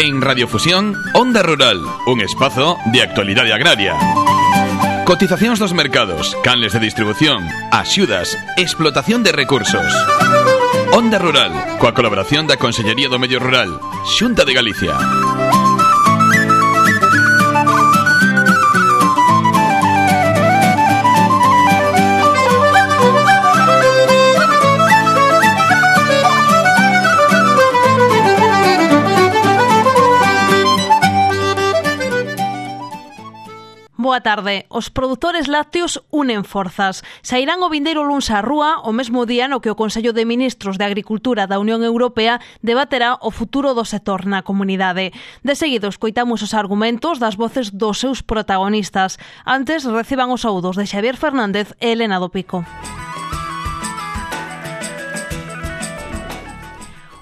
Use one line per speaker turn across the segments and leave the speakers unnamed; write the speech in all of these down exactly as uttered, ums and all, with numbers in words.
En Radiofusión, Onda Rural, un espazo de actualidade agraria. Cotizacións dos mercados, canles de distribución, axudas, explotación de recursos. Onda Rural, coa colaboración da Consellería do Medio Rural, Xunta de Galicia.
Boa tarde. Os produtores lácteos unen forzas. Sairán o vindeiro luns á rúa o mesmo día no que o Consello de Ministros de Agricultura da Unión Europea debaterá o futuro do sector na comunidade. De seguido, escoitamos os argumentos das voces dos seus protagonistas. Antes, reciban os saúdos de Xavier Fernández e Elena do Pico.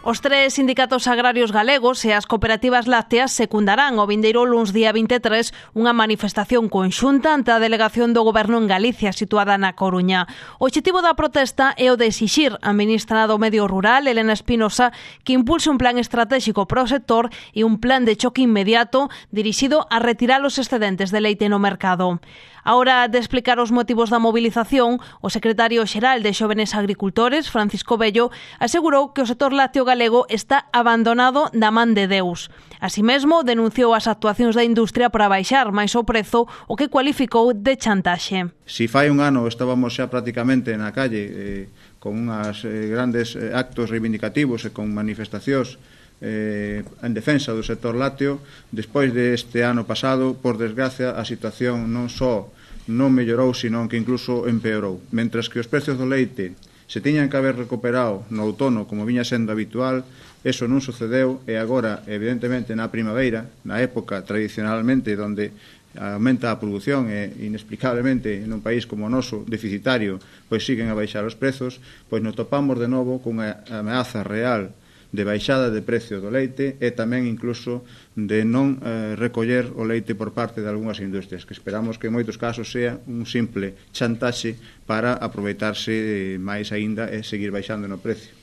Os tres sindicatos agrarios galegos e as cooperativas lácteas secundarán o vindeiro luns día vinte e tres unha manifestación conxunta ante a delegación do Goberno en Galicia situada na Coruña. O obxectivo da protesta é o de exixir á ministra do Medio Rural, Elena Espinosa, que impulse un plan estratégico para o sector e un plan de choque inmediato dirixido a retirar os excedentes de leite no mercado. A hora de explicar os motivos da movilización, o secretario xeral de Xóvenes Agricultores, Francisco Bello, asegurou que o sector lácteo galego está abandonado da man de Deus. Así mesmo, denunciou as actuacións da industria para baixar máis o prezo, o que cualificou de chantaxe.
Si fai un ano estábamos xa prácticamente na calle eh, con unhas eh, grandes eh, actos reivindicativos e con manifestacións Eh, en defensa do sector lácteo, despois deste ano pasado, por desgracia, a situación non só non mellorou, senón que incluso empeorou. Mentres que os precios do leite se tiñan que haber recuperado no outono como viña sendo habitual, eso non sucedeu e agora, evidentemente, na primavera, na época tradicionalmente onde aumenta a produción e inexplicablemente nun país como o noso, deficitario, pois siguen a baixar os prezos, pois nos topamos de novo cunha ameaza real de baixada de precio do leite e tamén incluso de non eh, recoller o leite por parte de algunhas industrias, que esperamos que en moitos casos sea un simple chantaxe para aproveitarse máis aínda e seguir baixando no precio.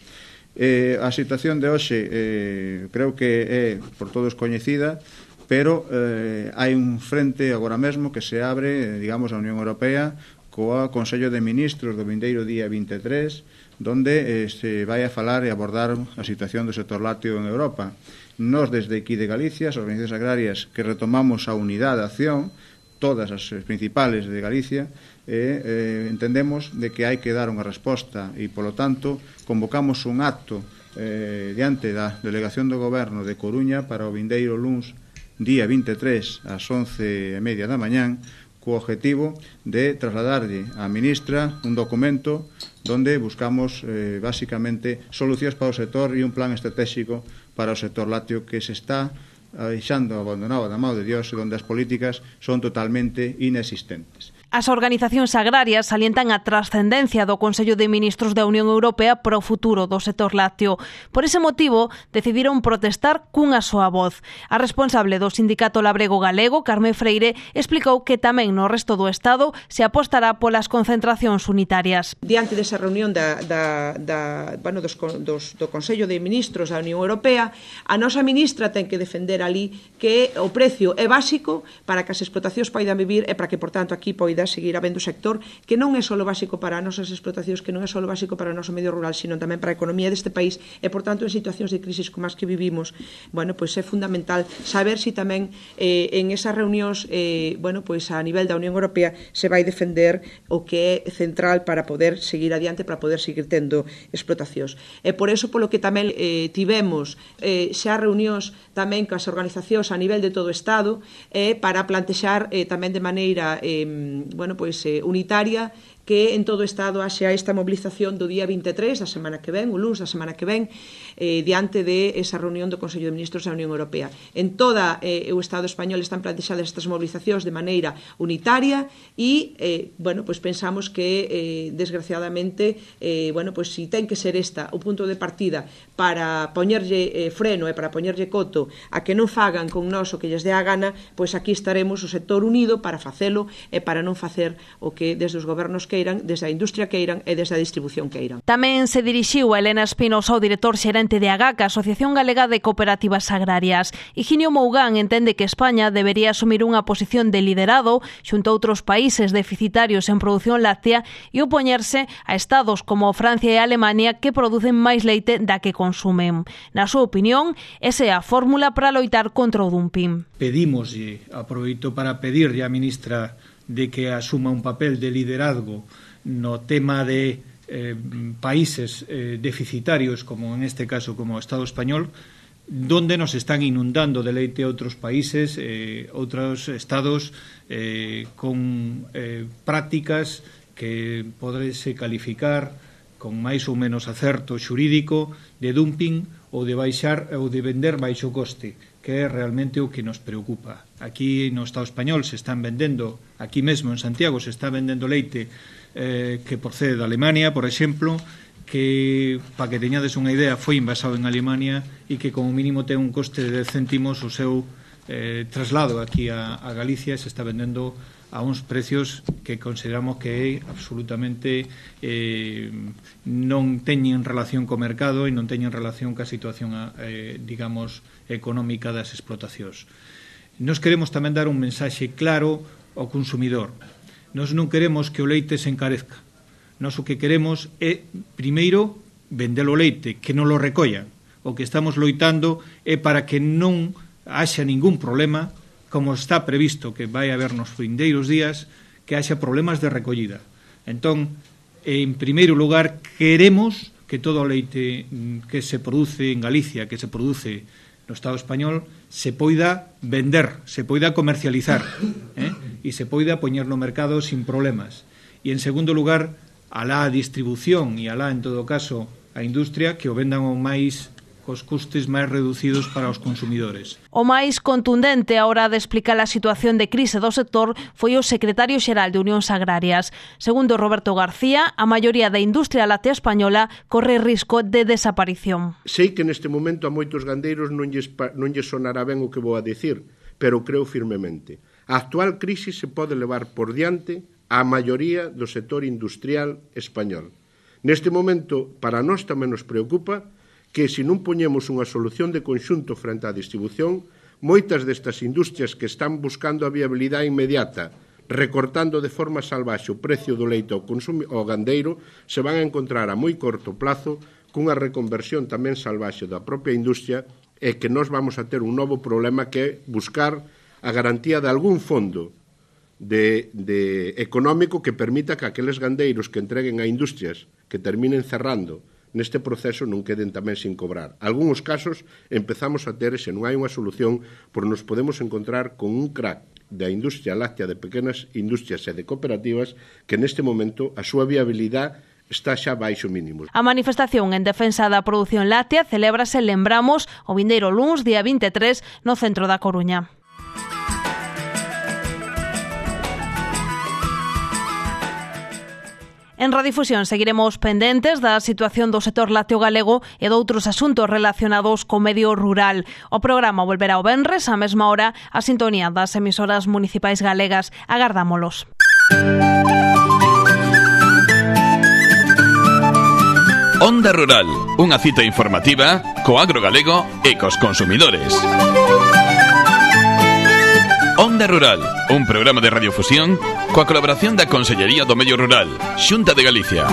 Eh, a situación de hoxe eh, creo que é por todos coñecida, pero eh, hai un frente agora mesmo que se abre, digamos, a Unión Europea coa Consello de Ministros do vindeiro día vinte e tres, donde eh, se vai a falar e abordar a situación do sector lácteo en Europa. Nos, desde aquí de Galicia, as organizacións agrarias que retomamos a unidade de acción, todas as principales de Galicia, e eh, entendemos de que hai que dar unha resposta e, polo tanto, convocamos un acto eh, diante da delegación do Goberno de Coruña para o vindeiro luns, día vinte e tres, ás once e media da mañán, co objetivo de trasladarlle á ministra un documento donde buscamos, eh, básicamente, solucións para o sector e un plan estratégico para o sector lácteo que se está deixando abandonado da mão de Dios e onde as políticas son totalmente inexistentes.
As organizacións agrarias salientan a trascendencia do Consello de Ministros da Unión Europea para o futuro do sector lácteo. Por ese motivo, decidiron protestar cunha soa voz. A responsable do Sindicato Labrego Galego, Carmen Freire, explicou que tamén no resto do Estado se apostará polas concentracións unitarias.
Diante desa reunión da, da, da, bueno, dos, dos, do Consello de Ministros da Unión Europea, a nosa ministra ten que defender ali que o precio é básico para que as explotacións poidan vivir e para que, por tanto, aquí poida seguir habendo sector que non é só básico para as nosas explotacións, que non é só básico para o noso medio rural, sino tamén para a economía deste país e, por tanto, en situacións de crisis como as que vivimos, bueno, pois é fundamental saber se si tamén eh, en esas reunións, eh, bueno, pois a nivel da Unión Europea se vai defender o que é central para poder seguir adiante, para poder seguir tendo explotacións. E por eso, polo que tamén eh, tivemos eh, xa reunións tamén coas organizacións a nivel de todo o Estado eh, para plantexar eh, tamén de maneira eh, bueno, pois, eh, unitaria que en todo o Estado haxa esta mobilización do día vinte e tres da semana que ven, o luns da semana que ven, eh, diante de esa reunión do Consello de Ministros da Unión Europea. En toda eh, o Estado español están plantexadas estas mobilizacións de maneira unitaria e, eh, bueno, pois pensamos que, eh, desgraciadamente, eh, bueno, pois si ten que ser esta o punto de partida para poñerlle eh, freno e para poñerlle coto a que non fagan con nós o que lles dé a gana, pois aquí estaremos o sector unido para facelo e para non facer o que desde os gobernos que queiran, desde a industria queiran e desde a distribución queiran.
Tamén se dirixiu a Elena Espinosa, o director xerente de AGACA, Asociación Galega de Cooperativas Agrarias. Higinio Mougán entende que España debería asumir unha posición de liderado xunto a outros países deficitarios en produción láctea e opoñerse a estados como Francia e Alemania que producen máis leite da que consumen. Na súa opinión, esa é a fórmula para loitar contra o dumping.
Pedimos, e aproveito para pedirlle á ministra de que asuma un papel de liderazgo no tema de eh, países eh, deficitarios, como en este caso como o Estado español, donde nos están inundando de leite outros países, eh, outros estados eh, con eh, prácticas que podrese calificar con máis ou menos acerto xurídico de dumping ou de baixar ou de vender baixo coste, que é realmente o que nos preocupa. Aquí no Estado español se están vendendo, aquí mesmo en Santiago se está vendendo leite eh, que procede de Alemania, por exemplo, que, para que teñades unha idea, foi envasado en Alemania e que como mínimo ten un coste de dez céntimos o seu eh, traslado aquí a, a Galicia, se está vendendo a uns precios que consideramos que é absolutamente eh, non teñen relación co mercado e non teñen relación ca situación eh, digamos económica das explotacións. Nos queremos tamén dar un mensaxe claro ao consumidor. Nos non queremos que o leite se encarezca. Nos o que queremos é, primeiro, vender o leite, que non lo recollan. O que estamos loitando é para que non haxa ningún problema, como está previsto que vai haber nos vindeiros días, que haxa problemas de recollida. Entón, en primeiro lugar, queremos que todo o leite que se produce en Galicia, que se produce no Estado español, se poida vender, se poida comercializar, eh? e se poida poñer no mercado sin problemas. E, en segundo lugar, alá a distribución e alá, en todo caso, a industria, que o vendan o máis cos custes máis reducidos para os consumidores.
O máis contundente a hora de explicar a situación de crise do sector foi o secretario xeral de Unións Agrarias. Segundo Roberto García, a maioría da industria láctea española corre risco de desaparición.
Sei que neste momento a moitos gandeiros non lles, non lles sonará ben o que vou a dicir, pero creo firmemente. A actual crise se pode levar por diante a maioría do sector industrial español. Neste momento, para nós tamén nos preocupa que se non poñemos unha solución de conxunto frente á distribución, moitas destas industrias que están buscando a viabilidade inmediata, recortando de forma salvaxe o precio do leite ao, ao gandeiro, se van a encontrar a moi corto plazo cunha reconversión tamén salvaxe da propia industria e que nós vamos a ter un novo problema que é buscar a garantía de algún fondo de, de económico que permita que aqueles gandeiros que entreguen a industrias que terminen cerrando neste proceso non queden tamén sin cobrar. Algúns casos empezamos a ter, se non hai unha solución, por nos podemos encontrar con un crack da industria láctea, de pequenas industrias e de cooperativas, que neste momento a súa viabilidade está xa baixo mínimo.
A manifestación en defensa da produción láctea celébrase, lembramos, o vindeiro luns, día vinte e tres, no centro da Coruña. En Radiodifusión seguiremos pendentes da situación do sector lácteo galego e de outros asuntos relacionados co medio rural. O programa volverá o venres á mesma hora a sintonía das emisoras municipais galegas. Agardámolos.
Onda Rural, unha cita informativa co agro galego e cos consumidores. Onda Rural, un programa de radiofusión coa colaboración da Consellería do Medio Rural, Xunta de Galicia.